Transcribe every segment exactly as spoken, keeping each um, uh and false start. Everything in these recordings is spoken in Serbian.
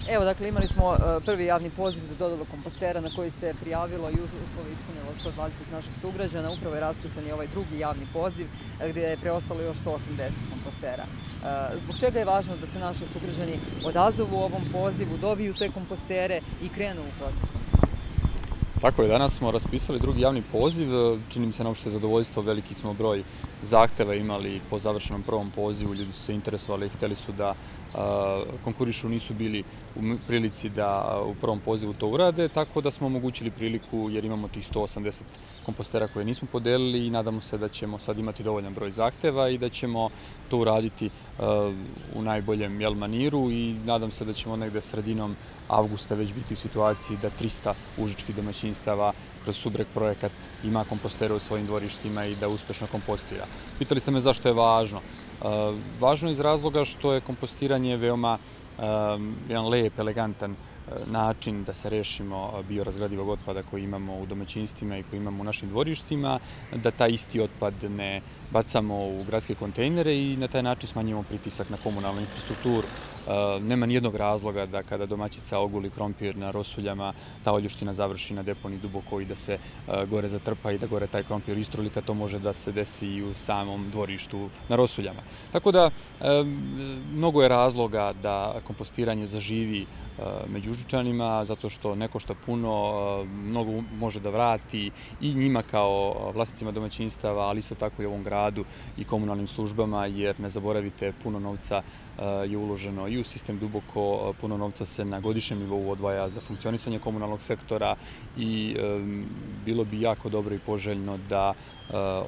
Evo, dakle, imali smo prvi javni poziv za dodelu kompostera na koji se prijavilo i uslove ispunilo sto dvadeset naših sugrađana. Upravo je raspisan i ovaj drugi javni poziv gdje je preostalo još sto osamdeset kompostera. Zbog čega je važno da se naši sugrađani odazovu ovom pozivu, dobiju te kompostere i krenu u proces kompostiranja? Tako je, danas smo raspisali drugi javni poziv, čini mi se na opšte zadovoljstvo, veliki smo broj zahteva imali po završenom prvom pozivu, ljudi su se interesovali i hteli su da konkurišu, nisu bili u prilici da u prvom pozivu to urade, tako da smo omogućili priliku jer imamo tih sto osamdeset kompostera koje nismo podelili i nadamo se da ćemo sad imati dovoljan broj zahteva i da ćemo to uraditi u najboljem maniru i nadam se da ćemo negde sredinom avgusta već biti u situaciji da trista užičkih domaćinstava kroz Subreg projekat ima kompostere u svojim dvorištima i da uspešno kompostira. Pitali ste me zašto je važno. Važno je iz razloga što je kompostiranje veoma jedan lep, elegantan način da se rešimo biorazgradivog otpada koji imamo u domaćinstvima i koji imamo u našim dvorištima, da taj isti otpad ne bacamo u gradske kontejnere i na taj način smanjimo pritisak na komunalnu infrastrukturu. Nema nijednog razloga da kada domaćica oguli krompir na rosuljama, ta oljuština završi na deponiji duboko i da se gore zatrpa i da gore taj krompir istruli, kad to može da se desi i u samom dvorištu na rosuljama. Tako da, mnogo je razloga da kompostiranje zaživi među Užičanima, zato što ne košta puno, mnogo može da vrati i njima kao vlasnicima domaćinstava, ali isto tako i ovom gradu i komunalnim službama, jer ne zaboravite, puno novca je uloženo i u sistem duboko, puno novca se na godišnjem nivou odvaja za funkcionisanje komunalnog sektora i bilo bi jako dobro i poželjno da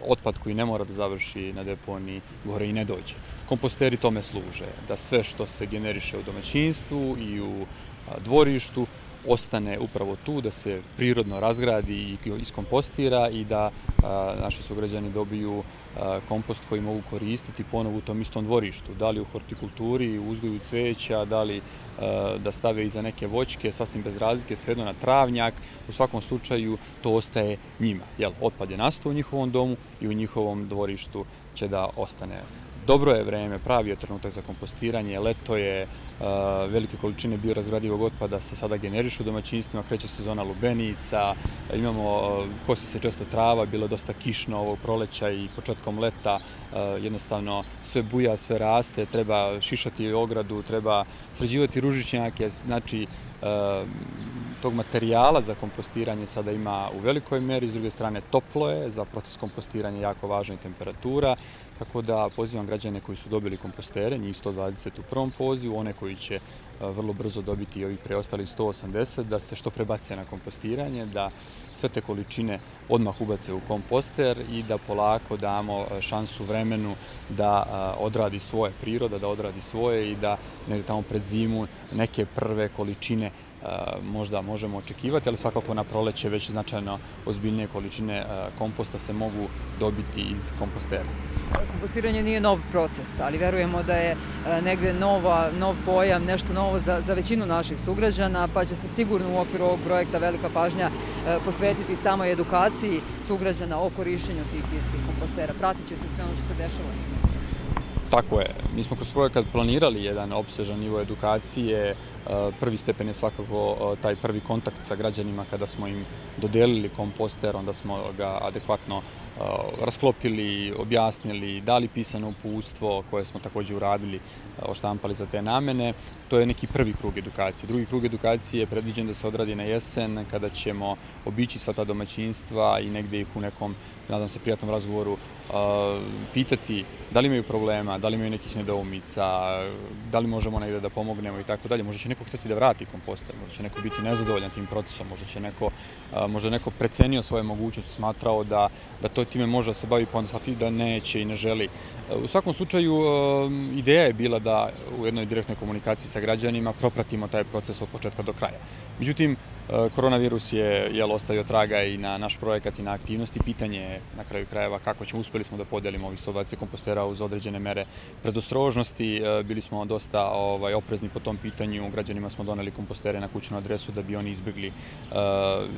otpad koji ne mora da završi na deponiji gore i ne dođe. Komposteri tome služe, da sve što se generiše u domaćinstvu i u dvorištu ostane upravo tu, da se prirodno razgradi i iskompostira i da naši sugrađani dobiju kompost koji mogu koristiti ponovo u tom istom dvorištu. Da li u hortikulturi, u uzgoju cveća, da li da stave iza neke voćke, sasvim bez razlike, svejedno na travnjak. U svakom slučaju to ostaje njima. Otpad je nastao u njihovom domu i u njihovom dvorištu će da ostane. Dobro je vreme, pravi je trenutak za kompostiranje, leto je, velike količine biorazgradivog otpada se sada generišu u domaćinstvima, kreće sezona lubenica, imamo, kosi se često trava, bilo je dosta kišno ovog proleća i početkom leta, jednostavno sve buja, sve raste, treba šišati ogradu, treba sređivati ružičnjake, znači tog materijala za kompostiranje sada ima u velikoj meri, s druge strane toplo je, za proces kompostiranja jako važna i temperatura, tako da pozivam građane koji su dobili kompostere, njih sto dvadeset u prvom pozivu, one koji će vrlo brzo dobiti i ovih preostalih sto osamdeset, da se što prebace na kompostiranje, da sve te količine odmah ubace u komposter i da polako damo šansu vremenu da odradi svoje, priroda da odradi svoje i da negdje tamo pred zimu neke prve količine možda možemo očekivati, ali svakako na proleće već značajno ozbiljnije količine komposta se mogu dobiti iz kompostera. Kompostiranje nije nov proces, ali verujemo da je negde nov pojam, nešto novo za većinu naših sugrađana, pa će se sigurno u okviru ovog projekta velika pažnja posvetiti samoj edukaciji sugrađana o korišćenju tih istih kompostera. Pratit će se sve ono što se dešava. Tako je. Mi smo kroz projekat planirali jedan opsežan nivo edukacije. Prvi stepen je svakako taj prvi kontakt sa građanima kada smo im dodelili komposter, onda smo ga adekvatno rasklopili, objasnili, dali pisano uputstvo koje smo također uradili, oštampali za te namene. To je neki prvi krug edukacije. Drugi krug edukacije je predviđen da se odradi na jesen, kada ćemo obići sva ta domaćinstva i negde ih u nekom, nadam se, prijatnom razgovoru pitati da li imaju problema, da li imaju nekih nedoumica, da li možemo negde da pomognemo i tako dalje. Možda će neko htjeti da vrati komposter, možda će neko biti nezadovoljan tim procesom, možda će neko, možda neko precenio svoje mogućnosti, smatrao da, da to time može da se bavi, pa onda shvati da neće i ne želi. U svakom slučaju, ideja je bila da u jednoj direktnoj komunikaciji sa građanima propratimo taj proces od početka do kraja. Međutim, koronavirus je ostavio traga i na naš projekat i na aktivnosti. Pitanje je na kraju krajeva kako ćemo, uspeli smo da podelimo ovih sto dvadeset kompostera uz određene mere predostrožnosti. Bili smo dosta oprezni po tom pitanju. Građanima smo doneli kompostere na kućnu adresu da bi oni izbjegli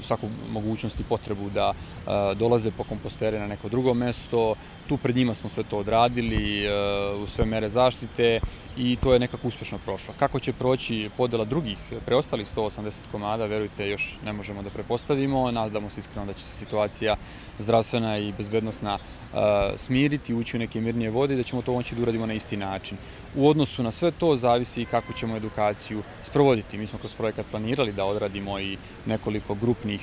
svaku mogućnost i potrebu da dolaze po kompostere na neko drugo mesto. Tu pred njima smo sve to odradili. uvrstili u sve mere zaštite i to je nekako uspješno prošlo. Kako će proći podela drugih, preostalih sto osamdeset komada, verujte, još ne možemo da prepostavimo. Nadamo se iskreno da će se situacija zdravstvena i bezbednosna smiriti, ući u neke mirnije vode i da ćemo to moći da uradimo na isti način. U odnosu na sve to zavisi i kako ćemo edukaciju sprovoditi. Mi smo kroz projekat planirali da odradimo i nekoliko grupnih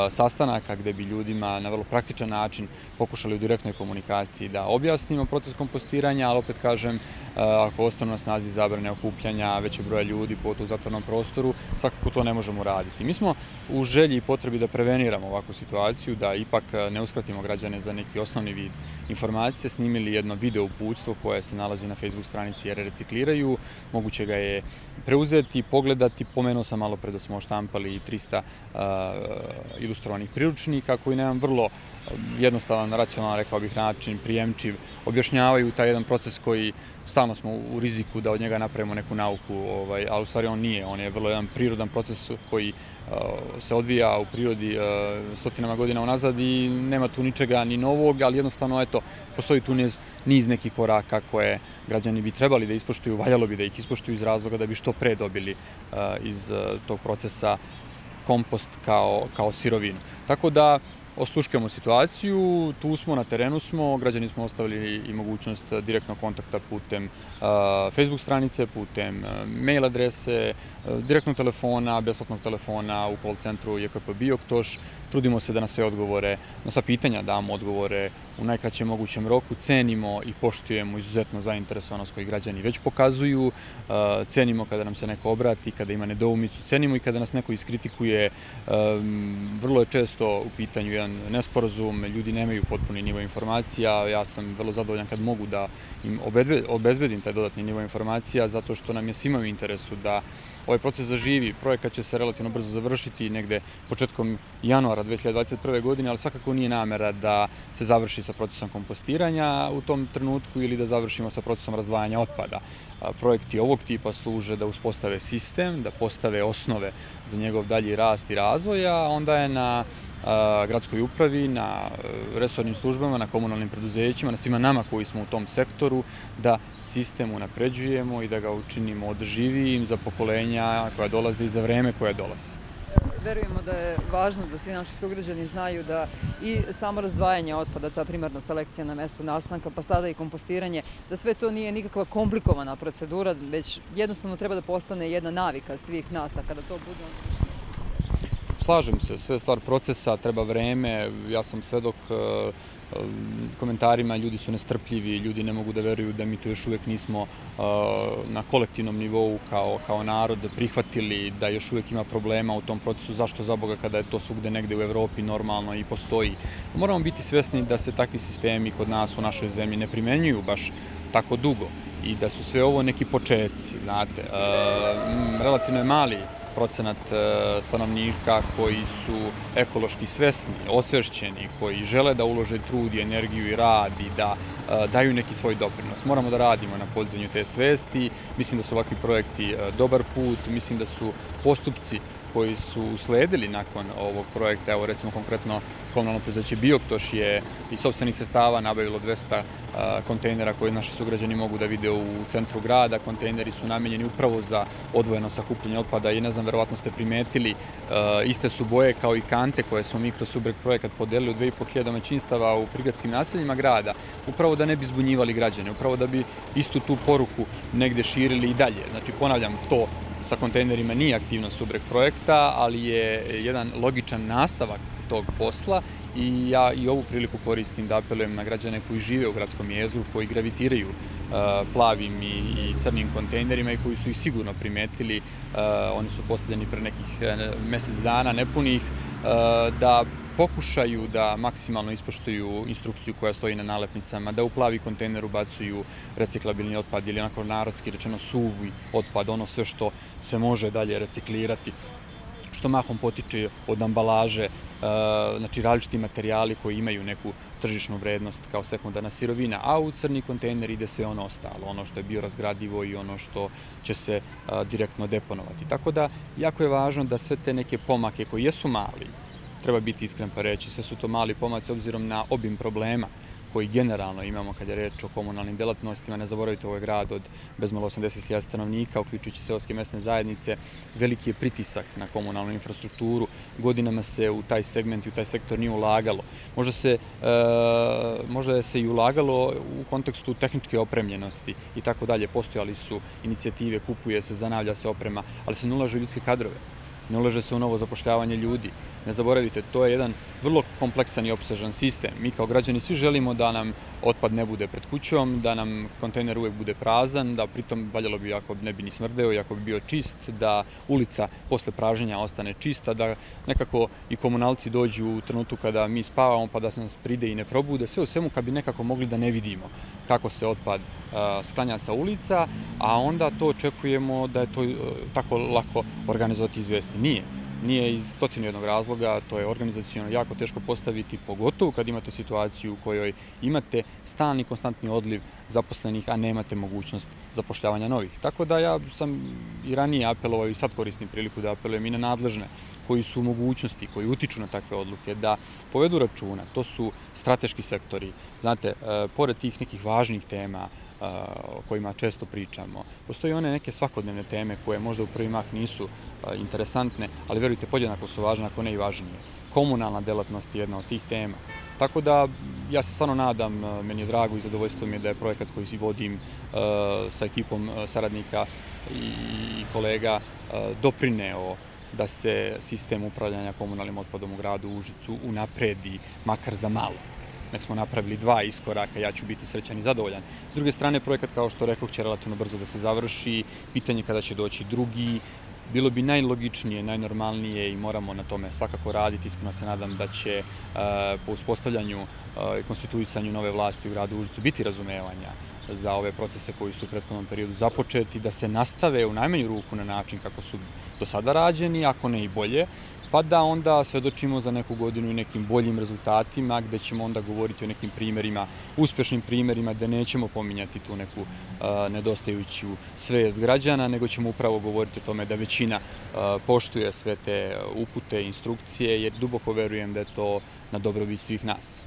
sastanaka gde bi ljudima na vrlo praktičan način pokušali u direktnoj komunikaciji da objasnimo proces kompostiranja, ali opet kažem, ako ostanu na snazi zabrane okupljanja većeg broja ljudi u zatvorenom prostoru, svakako to ne možemo raditi. Mi smo u želji i potrebi da preveniramo ovakvu situaciju, da ipak ne uskratimo građane za neki osnovni vid informacije, snimili jedno video uputstvo koje se nalazi na Facebook stranici jer recikliraju. Moguće ga je preuzeti, pogledati. Pomenuo sam malo pre da smo štampali i trista ilustrovanih priručnika koji na jedan vrlo jednostavan, racionalan, rekao bih, način, prijemčiv, objašnjavaju taj jedan proces koji stalno smo u riziku da od njega napravimo neku nauku, ali u stvari on nije. On je vrlo jedan prirodan proces koji se odvija u prirodi stotinama godina unazad i nema tu ničega ni novog, ali jednostavno, eto, postoji tu niz nekih koraka koje građani bi trebali da ispoštuju, valjalo bi da ih ispoštuju iz razloga da bi što pre dobili iz tog procesa kompost kao sirovinu. Tako da osluškujemo situaciju, tu smo, na terenu smo, građani smo ostavili i mogućnost direktnog kontakta putem Facebook stranice, putem mail adrese, direktnog telefona, besplatnog telefona u call centru J K P Bioktoš. Trudimo se da na sve odgovore, na sva pitanja damo odgovore u najkraćem mogućem roku, cenimo i poštujemo izuzetno zainteresovanost koju građani već pokazuju, cenimo kada nam se neko obrati, kada ima nedoumicu, cenimo i kada nas neko iskritikuje. Vrlo je često u pitanju jedan nesporazum, ljudi nemaju potpuni nivo informacija, ja sam vrlo zadovoljan kad mogu da im obezbedim taj dodatni nivo informacija, zato što nam je svima u interesu da ovaj proces zaživi. Projekat će se relativno brzo završiti, negde početkom januara dve hiljade dvadeset prve. godine, ali svakako nije namera da se završi sa procesom kompostiranja u tom trenutku ili da završimo sa procesom razdvajanja otpada. Projekti ovog tipa služe da uspostave sistem, da postave osnove za njegov dalji rast i razvoj, a onda je na gradskoj upravi, na resornim službama, na komunalnim preduzećima, na svima nama koji smo u tom sektoru, da sistem unapređujemo i da ga učinimo održivijim za pokolenja koja dolaze i za vreme koje dolaze. Verujemo da je važno da svi naši sugrađani znaju da i samo razdvajanje otpada, ta primarna selekcija na mestu nastanka, pa sada i kompostiranje, da sve to nije nikakva komplikovana procedura, već jednostavno treba da postane jedna navika svih nas, a kada to bude... Slažem se, sve je stvar procesa, treba vreme, ja sam svedok komentarima, ljudi su nestrpljivi, ljudi ne mogu da veruju da mi to još uvek nismo na kolektivnom nivou kao narod prihvatili, da još uvek ima problema u tom procesu, zašto za Boga kada je to svugde negde u Evropi normalno i postoji. Moramo biti svesni da se takvi sistemi kod nas u našoj zemlji ne primenjuju baš tako dugo i da su sve ovo neki početci, znate. Relativno je mali procenat stanovnika koji su ekološki svesni, osvešćeni, koji žele da ulože trud i energiju i rad i da daju neki svoj doprinos. Moramo da radimo na podizanju te svesti. Mislim da su ovakvi projekti dobar put, mislim da su postupci koji su usledili nakon ovog projekta, evo recimo konkretno komunalno preduzeće Bioktoš je iz sopstvenih sredstava nabavilo dvesta kontejnera koje naši sugrađani mogu da vide u centru grada. Kontejneri su namenjeni upravo za odvojeno sakupljanje otpada i ne znam, verovatno ste primetili, iste su boje kao i kante koje smo mi kroz Subreg projekat podelili u dve i po hiljade domaćinstava u prigradskim naseljima grada, upravo da ne bi zbunjivali građane, upravo da bi istu tu poruku negde širili i dalje. Znači, ponavljam, to sa kontejnerima nije aktivnost Subreg projekta, ali je jedan logičan nastavak tog posla i ja i ovu priliku koristim da apelujem na građane koji žive u gradskom jezgru, koji gravitiraju plavim i crnim kontejnerima i koji su ih sigurno primetili, oni su postavljeni pre nekih mesec dana nepunih, da pokušaju da maksimalno ispoštuju instrukciju koja stoji na nalepnicama, da u plavi kontejner ubacuju reciklabilni otpad ili onako narodski rečeno suvi otpad, ono sve što se može dalje reciklirati, što mahom potiče od ambalaže, znači različiti materijali koji imaju neku tržišnu vrednost kao sekundarna sirovina, a u crni kontejner ide sve ono ostalo, ono što je biorazgradivo i ono što će se direktno deponovati. Tako da, jako je važno da sve te neke pomake koji jesu mali, treba biti iskren pa reći, sve su to mali pomaci obzirom na obim problema koji generalno imamo kad je reč o komunalnim delatnostima. Ne zaboravite, ovo je grad od bezmalo osamdeset hiljada stanovnika, uključujući seoske mesne zajednice. Veliki je pritisak na komunalnu infrastrukturu. Godinama se u taj segment i u taj sektor nije ulagalo. Možda se, možda se i ulagalo u kontekstu tehničke opremljenosti i tako dalje. Postojali su inicijative, kupuje se, zanavlja se oprema, ali se ne ulaže u ljudske kadrove. Ne ulaže se u novo zapošljavanje ljudi. Ne zaboravite, to je jedan vrlo kompleksan i opsežan sistem. Mi kao građani svi želimo da nam otpad ne bude pred kućom, da nam kontejner uvek bude prazan, da pritom valjalo bi ako ne bi ni smrdeo i ako bi bio čist, da ulica posle praženja ostane čista, da nekako i komunalci dođu u trenutku kada mi spavamo pa da se nas pride i ne probude. Sve u svemu kad bi nekako mogli da ne vidimo kako se otpad sklanja sa ulica, a onda to očekujemo da je to tako lako organizovati i izvesti. Nije. Nije iz stotinu jednog razloga, to je organizaciono jako teško postaviti, pogotovo kad imate situaciju u kojoj imate stalni konstantni odliv zaposlenih, a nemate mogućnost zapošljavanja novih. Tako da ja sam i ranije apelovao i sad koristim priliku da apelujem i na nadležne koji su u mogućnosti, koji utiču na takve odluke, da povedu računa. To su strateški sektori. Znate, pored tih nekih važnih tema o kojima često pričamo, postoje one neke svakodnevne teme koje možda u prvi mah nisu interesantne, ali verujte, podjednako su važne, ako ne i važnije. Komunalna delatnost je jedna od tih tema. Tako da, ja se stvarno nadam, meni je drago i zadovoljstvo mi je da je projekat koji vodim sa ekipom saradnika i kolega doprineo da se sistem upravljanja komunalnim otpadom u gradu Užicu unapredi, makar za malo. Nek smo napravili dva iskoraka, ja ću biti srećan i zadovoljan. S druge strane, projekat, kao što rekoh, će relativno brzo da se završi, pitanje kada će doći drugi. Bilo bi najlogičnije, najnormalnije i moramo na tome svakako raditi. Iskreno se nadam da će po uspostavljanju i konstituisanju nove vlasti u gradu Užicu biti razumevanja za ove procese koji su u prethodnom periodu započeti, da se nastave u najmanju ruku na način kako su do sada rađeni, ako ne i bolje, pa da onda svedočimo za neku godinu i nekim boljim rezultatima, gde ćemo onda govoriti o nekim primerima, uspešnim primerima, gde nećemo pominjati tu neku nedostajuću svest građana, nego ćemo upravo govoriti o tome da većina poštuje sve te upute, instrukcije, jer duboko verujem da je to na dobrobit svih nas.